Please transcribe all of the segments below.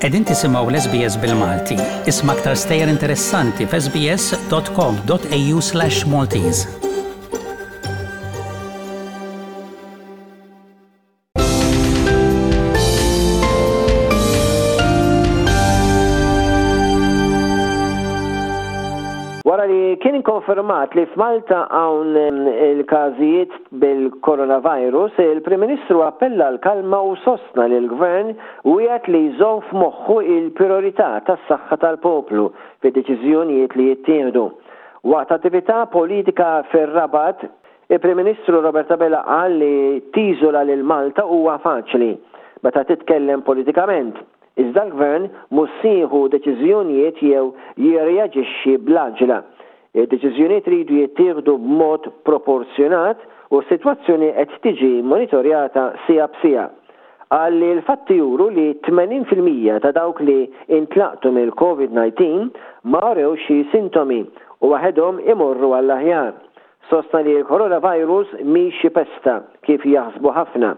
Qegħdin tisimgħu l-SBS bil-Malti. Isma' aktar stejjer interessanti f'sbs.com.au/maltese. Wara li kien konfermat li f'Malta hawn il-każijiet bil-coronavirus, il-Prim Ministru appella għall-kalma u sostna li l-Gvern wiegħed li jżomm f'moħħu il-prijorità tas-saħħa tal-poplu fid-deċiżjonijiet li jittieħdu. Waqt attività politika fir-Rabat, Il-Prim Ministru Robert Abela qal li tiżola lil Malta huwa faċli meta titkellem politikament, iżda l-Gvern mhux se jieħu deċiżjonijiet jew jirreaġixxi bl-għaġla. Id-deċiżjonijiet iridu jittieħdu b'mod proporzjonat u s-sitwazzjoni qed tiġi monitorjata siegħa b'siegħa. Qal li l-fatti juru li 80% ta' dawk li intlaqtu mill-Covid 19 ma urewx xi sintomi u waħedhom imorru għall-aħjar. Sostna li l-coronavirus mhix xi pesta kif jaħsbu ħafna.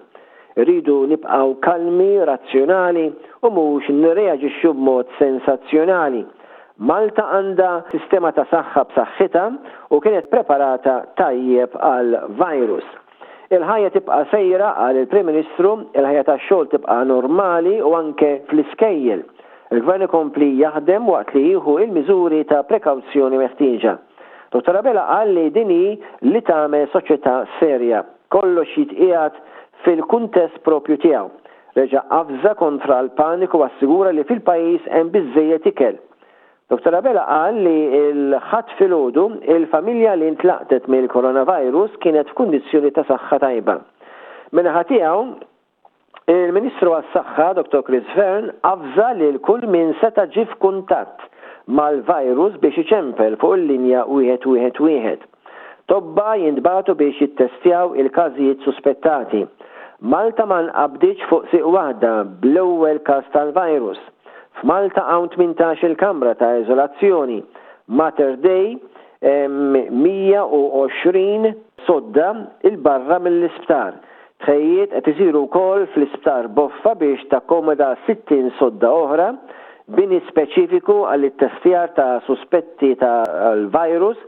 Irridu nibqgħu kalmi, razzjonali u mhux nirreaġixxu b'mod sensazzjonali. Malta għandha sistema ta' saħħa b'saħħitha u kienet preparata tajjeb għall-virus. Il-ħajja tibqa' sejra, qal il-Prim Ministru, il-ħajja tax-xogħol tibqa' normali u anke fl-iskejjel. Il-Gvern ikompli jaħdem waqt li jieħu l-miżuri ta' prekawzjoni meħtieġa. Dottor Abela qal li din hi li tagħmel soċjetà serja. Kollox jitqiegħed fil-kuntest proprju tiegħu. Reġa' avża kontra l-paniku u assigura li fil-pajjiż hemm biżżejjed ikel. Dottor Abela qal li l-Ħadd filgħodu, il-familja li ntlaqtet mill-coronavirus kienet f'kundizzjoni ta' saħħa tajba. Min-naħa tiegħu, Il-Ministru għas-Saħħa, Dottor Chris Fearne, avża lil kull min seta' ġie f'kuntatt mal-virus biex iċempel fuq il-linja 111. Tobba jintbagħtu biex jittestjaw il-każijiet suspettati. Malta ma nqabditx fuq sieq waħda bl-ewwel każ tal-virus. F'Malta hawn 18-il kamra ta' iżolazzjoni. Mater Dei hemm 120 sodda 'il barra mill-isptar. Tħejjijiet qed isiru wkoll fl-Isptar Boffa biex takkomoda 60 sodda oħra, bini speċifiku għall-ittestjar ta' suspetti tal-virus.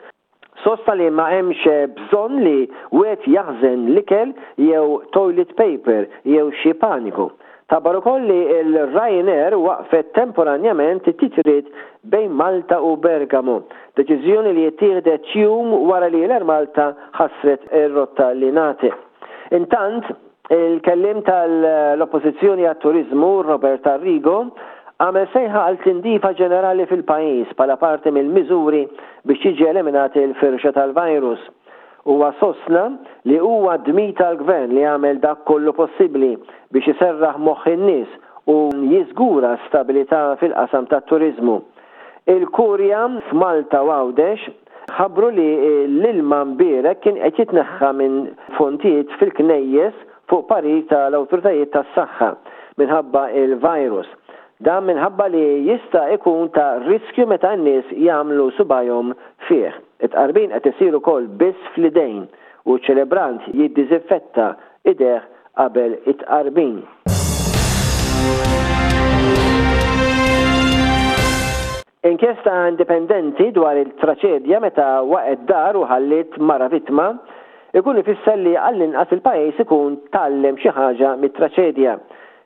Sostna li ma hemmx bżonn li wieħed jaħżen l-ikel jew toilet paper jew xi paniku. Tħabbar ukoll li l-Ryanair waqqfet temporanjament it-titjiriet bejn Malta u Bergamo, deċiżjoni li ttieħdet jum wara li l-Air Malta ħassret ir-rotta li ngħatet. Intant, il-kelliem tal-Oppożizzjoni għat-Turiżmu, Robert Arrigo, għamel sejħa għal tindifa ġenerali fil-pajjiż bħala parti mill-miżuri biex tiġi eliminat il-firxa tal-virus. Huwa sostna li huwa d-dmir tal-Gvern li jagħmel dak kollu possibbli biex iserraħ moħħ in-nies u jiżgura stabilità fil-qasam tat-turiżmu. Il-Kurja f'Malta u Għawdex ħabbru li l-ilma mbierek kien qed jitneħħa minn fontijiet fil-knejjes fuq parir tal-awtoritajiet tas-saħħa minħabba l-virus. Dan minħabba li jista' ikun ta' riskju meta n-nies jagħmlu subgħajhom fih. It-tqarbin qed isir ukoll biss fl-idejn u ċ-ċelebrant jiddiżinfetta idejh qabel it-tqarbin. Inkjesta indipendenti dwar il-traċedja meta waqgħet dar u ħalliet mara vittma ikun ifisser li għall-inqas il-pajjiż ikun tgħallem xi ħaġa mit-traċedja.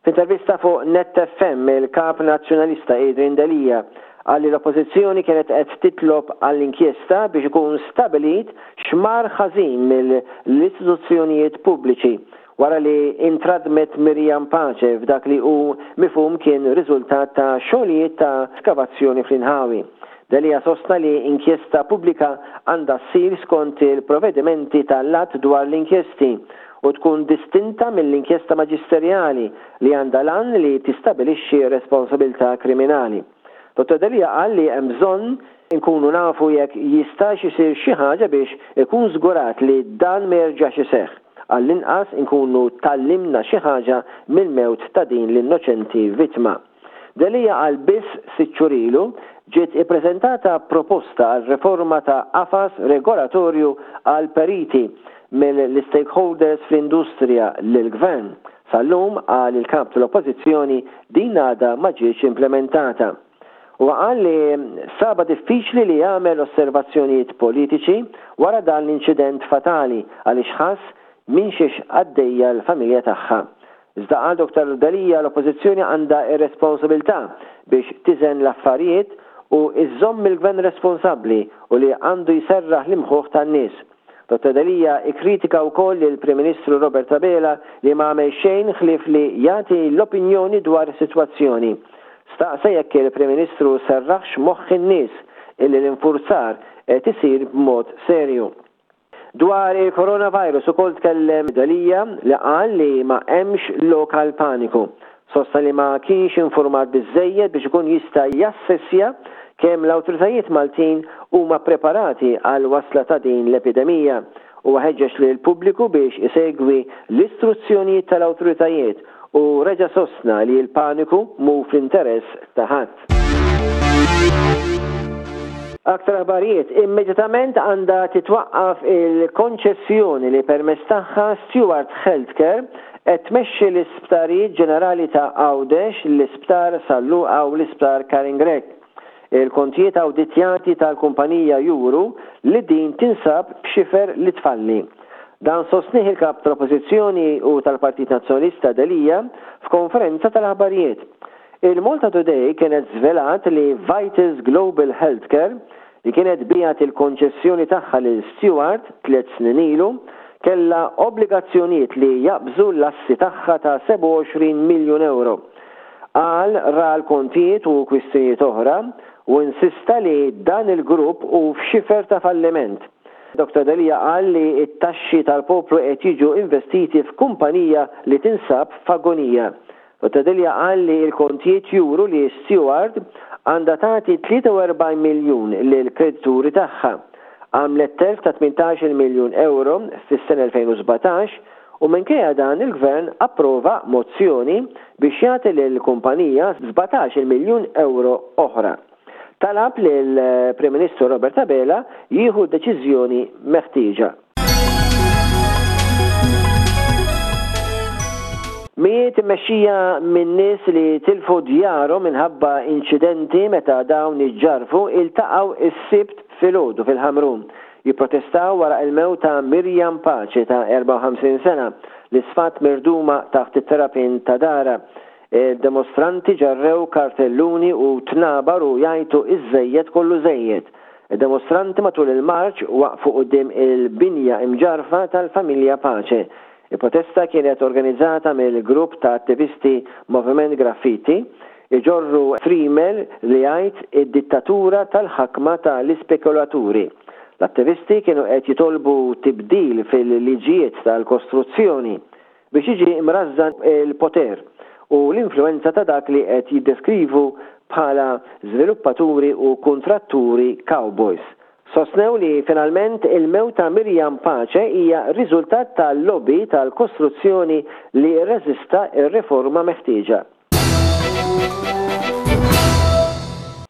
F'intervista fuq Net FM, il-Kap Nazzjonalista Adrian Delia qal li l-Oppożizzjoni kienet qed titlob għal inkjesta biex ikun stabilit x'mar ħażin mill-istituzzjonijiet pubbliċi wara li intradmet Miriam Pace f'dak li hu mifhum kien riżultat ta' xogħlijiet ta' skavazzjoni fl-inħawi. Delia sostna li inkjesta pubblika għandha ssir skont il-provedimenti tal-Att dwar l-Inkjesti u tkun distinta mill-inkjesta maġisterjali li għandha l-għan li tistabilixxi responsabilità kriminali. Dottor Delia qal li hemm bżonn inkunu nafu jekk jistax isir xi ħaġa biex ikun żgurat li dan ma jerġax iseħħ. Għall-inqas inkunu tgħallimna xi ħaġa mill-mewt ta' din l-innoċenti vittma. Delia qal biss sitt xhur ilu ġiet ippreżentata proposta għal riforma ta' qafas regolatorju għall-periti mill-istakeholders fl-industrija lill-Gvern. Sal-lum, qal il-Kap tal-Oppożizzjoni, din għadha ma ġietx implimentata. Huwa qal li sabha diffiċli li jagħmel osservazzjonijiet politiċi wara dan l-inċident fatali għaliex ħass minn xiex għaddejja l-familja tagħha. Iżda qal Dottor Delia l-Oppożizzjoni għandha r-responsabilità biex tiżen l-affarijiet u żżomm il-Gvern responsabbli u li għandu jserraħ l-imħuħ tan-nies. Dottor Delia ikkritika wkoll lill-Prim Ministru Robert Abela li ma għamel xejn ħlief li jagħti l-opinjoni dwar is-sitwazzjoni. Staqsa jekk il-Prim Ministru serraħx moħħ in-nies illi l-infurzar qed isir b'mod serju. Dwar il-coronavirus ukoll tkellem Delia li qal li ma hemmx lok għal paniku. Sostna li ma kienx infurmat biżżejjed biex ikun jista' jassessja kemm l-awtoritajiet Maltin huma ppreparati għall-wasla ta' din l-epidemija. Huwa ħeġġeġ lill-pubbliku biex isegwi l-istruzzjonijiet tal-awtoritajiet u reġa' sostna li l-paniku mhu fl-interess ta' ħadd. Aktar aħbarijiet, Immedjatament għandha titwaqqaf il-konċessjoni li permezz tagħha Steward Healthcare qed tmexxi l-Isptarijiet Ġenerali ta' Għawdex, l-Isptar San Luqa u l-Isptar Karin Grech. Il-kontijiet awditjati tal-kumpanija juru li din tinsab f'xifer li tfalli. Dan sostnieh il-Kap tal-Oppożizzjoni u tal-Partit Nazzjonalista Delia f'konferenza tal-aħbarijiet. Il-Malta Today kienet żvelat li Vitals Global Healthcare, li kienet biegħet il-konċessjoni tagħha lil Steward tliet snin ilu, kellha obbligazzjonijiet li jaqbżu l-assi tagħha ta' 27 miljun ewro. Qal ra l-kontijiet u kwistjonijiet oħra u insista li dan il-grupp hu f'xifer ta' falliment. Dottor Delia qal li t-taxxi tal-poplu qed jiġu investiti f'kumpanija li tinsab f'agonija. Dottor Delia qal li l-kontijiet juru li Steward għandha tagħti 43 miljun lill-kredituri tagħha. Għamlet telf ta' 18-il miljun ewro fis-sena 2017 u minkejja dan il-Gvern approva mozzjoni biex jagħti lill-kumpanija 17-il miljun ewro oħra. Talab lill-Prim Ministru Robert Abela jieħu d-deċiżjoni meħtieġa. Mijiet immexxija minn nies li tilfu djarhom minħabba inċidenti meta dawn iġġarrfu iltaqgħu s-Sibt filgħodu fil-Ħamrun jipprotestaw wara l-mewt ta' Miriam Pace ta' 54 sena li sfat mirduma taħt it-terrapien ta' darha. Id-demostranti ġarrew kartelluni u tnabar u jgħajtu iż-żejjed kollu żejjed. Id-demostranti matul il-marċ waqfu quddiem il-binja imġarrfa tal-familja Pace. Il-protesta kienet organizzata mill-grupp ta' attivisti Moviment Graffiti, iġorru friemel li jgħid id-dittatura tal-ħakma ta' l-ispekulaturi. L-attivisti kienu qed jitolbu tibdil fil-liġijiet tal-kostruzzjoni. biex jiġi mrażżan il-poter u l-influwenza ta' dak li qed jiddeskrivu bħala żviluppaturi u kuntratturi cowboys. Sostnew li finalment il-mewt ta' Miriam Pace hija riżultat ta' lobby tal-kostruzzjoni li rreżista r-riforma meħtieġa.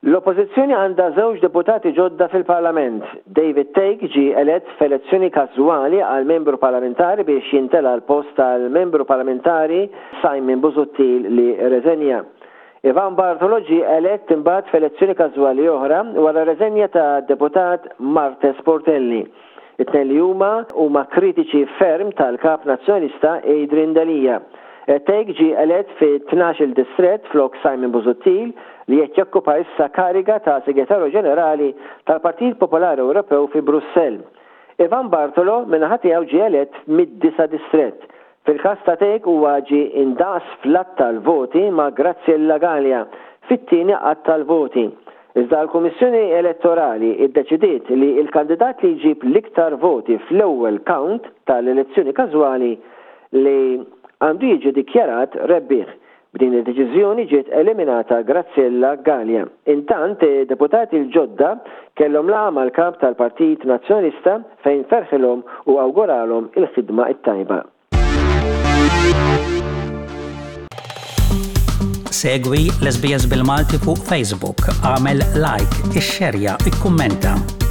L-Oppożizzjoni għandha żewġ deputati ġodda fil-Parlament. David Thake ġie elett f'elezzjoni każwali għal membru parlamentari biex jintela' l-post tal-membru parlamentari Simon Busuttil li rreżenja. Ivan Bartolo ġie elett imbagħad f'elezzjoni każwali oħra wara r-reżenja tad-deputat Marthese Portelli. It-tnejn li huma huma kritiċi ferm tal-Kap Nazzjonalista Adrian Delia. Thake ġie elett fit-tnax-il distrett flok Simon Busuttil li qed jokkupa issa kariga ta' Segretarju Ġenerali tal-Partit Popolari Ewropew fi Brussell. Ivan Bartolo min-naħa tiegħu ġie elett mid-disa' distrett. Fil-każ ta' Thake huwa ġie indaqs fl-għadd tal-voti ma' Graziella Galea fit-tieni għadd tal-voti. Iżda l-Kummissjoni Elettorali ddeċidiet li l-kandidat li jġib l-iktar voti fl-ewwel count tal-elezzjoni każwali li għandu jiġi dikjarat rebbieħ. B'din id-deċiżjoni ġiet eliminata Graziella Galea. Intant, id-deputati l-ġodda kellhom laqgħa mal-Kap tal-Partit Nazzjonalista fejn ferħilhom u awguralhom il-ħidma t-tajba. Segwi l-SBS bil-Malti fuq Facebook, għamel like, ixxerja, ikkummenta.